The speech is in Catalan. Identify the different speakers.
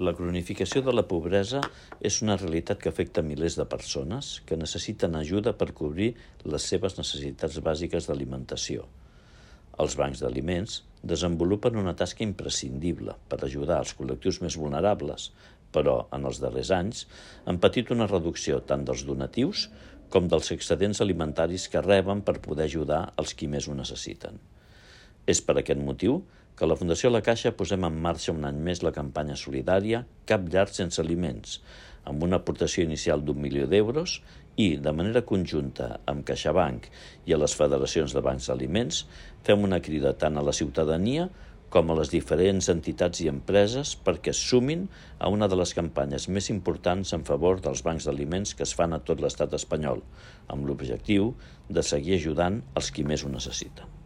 Speaker 1: La cronificació de la pobresa és una realitat que afecta milers de persones que necessiten ajuda per cobrir les seves necessitats bàsiques d'alimentació. Els bancs d'aliments desenvolupen una tasca imprescindible per ajudar els col·lectius més vulnerables, però en els darrers anys han patit una reducció tant dels donatius com dels excedents alimentaris que reben per poder ajudar els qui més ho necessiten. És per aquest motiu que a la Fundació La Caixa posem en marxa un any més la campanya solidària Cap llar sense aliments, amb una aportació inicial d'1 milió d'euros i, de manera conjunta amb CaixaBank i a les federacions de bancs d'aliments, fem una crida tant a la ciutadania com a les diferents entitats i empreses perquè es sumin a una de les campanyes més importants en favor dels bancs d'aliments que es fan a tot l'estat espanyol, amb l'objectiu de seguir ajudant els qui més ho necessiten.